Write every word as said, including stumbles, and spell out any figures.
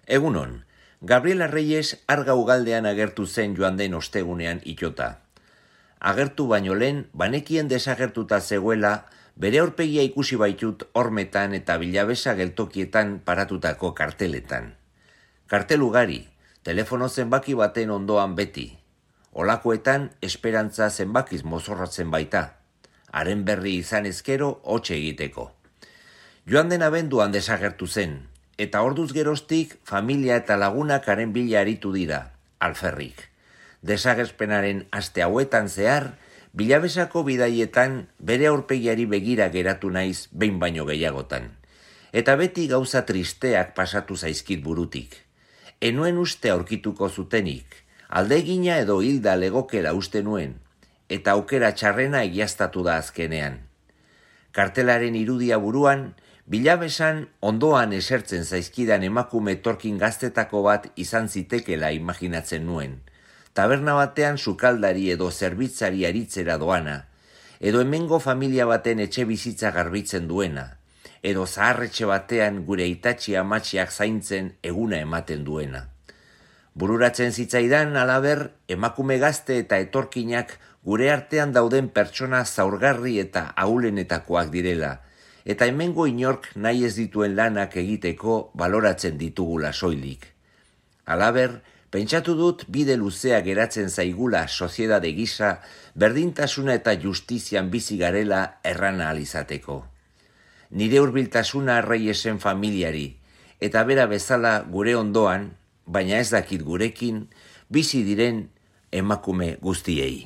Egunon, Gabriela Reyes arga ugaldean agertu zen joan den ostegunean itota. Agertu baino lehen, banekien desagertuta zegoela, bere aurpegia ikusi baitut hormetan eta bilabesa geltokietan paratutako karteletan. Kartel ugari, telefono zenbaki baten ondoan beti. Olakoetan esperantza zenbakiz mozorratzen baita. Haren berri izan ezkero hotxe egiteko. Joan den abenduan desagertu zen, eta orduz geroztik familia eta lagunak haren bila aritu dira, alferrik. Desagerpenaren aste hauetan zehar, bilabesako bidaietan bere aurpegiari begira geratu naiz behin baino gehiagotan. Eta beti gauza tristeak pasatu zaizkit burutik. Enuen uste aurkituko zutenik, aldegina edo hilda legokela uste nuen, eta aukera txarrena egiaztatu da azkenean. Kartelaren irudia buruan, bilabesan ondoan esertzen zaizkidan emakume etorkin gaztetako bat izan zitekela imaginatzen nuen. Taberna batean sukaldari edo zerbitzari aritzera doana, edo hemengo familia baten etxe bizitza garbitzen duena, edo zaharretxe batean gure itatxi amatxiak zaintzen eguna ematen duena. Bururatzen zitzaidan alaber, emakume gazte eta etorkinak gure artean dauden pertsona zaurgarri eta ahulenetakoak direla, eta hemengo inork nahi ez dituen lanak egiteko baloratzen ditugula soilik. Halaber, pentsatu dut bide luzea geratzen zaigula soziedade gisa, berdintasuna eta justizian bizi garela erran ahal izateko. Nire hurbiltasuna Reyesen familiari, eta bera bezala gure ondoan, baina ez dakit gurekin, bizi diren emakume guztiei.